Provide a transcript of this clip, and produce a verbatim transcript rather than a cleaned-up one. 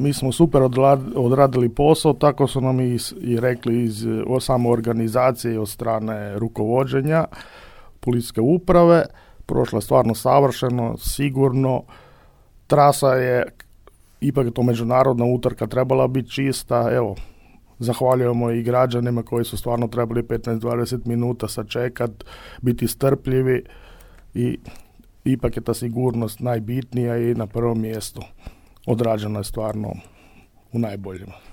mi smo super odradili posao, tako su nam i, i rekli iz samo organizacije i od strane rukovođenja policijske uprave. Prošlo je stvarno savršeno, sigurno. Trasa je, ipak je to međunarodna utrka, trebala biti čista. Evo, zahvaljujemo i građanima koji su stvarno trebali petnaest do dvadeset minuta sačekat, biti strpljivi i ipak je ta sigurnost najbitnija i na prvom mjestu odrađena je stvarno u najboljima.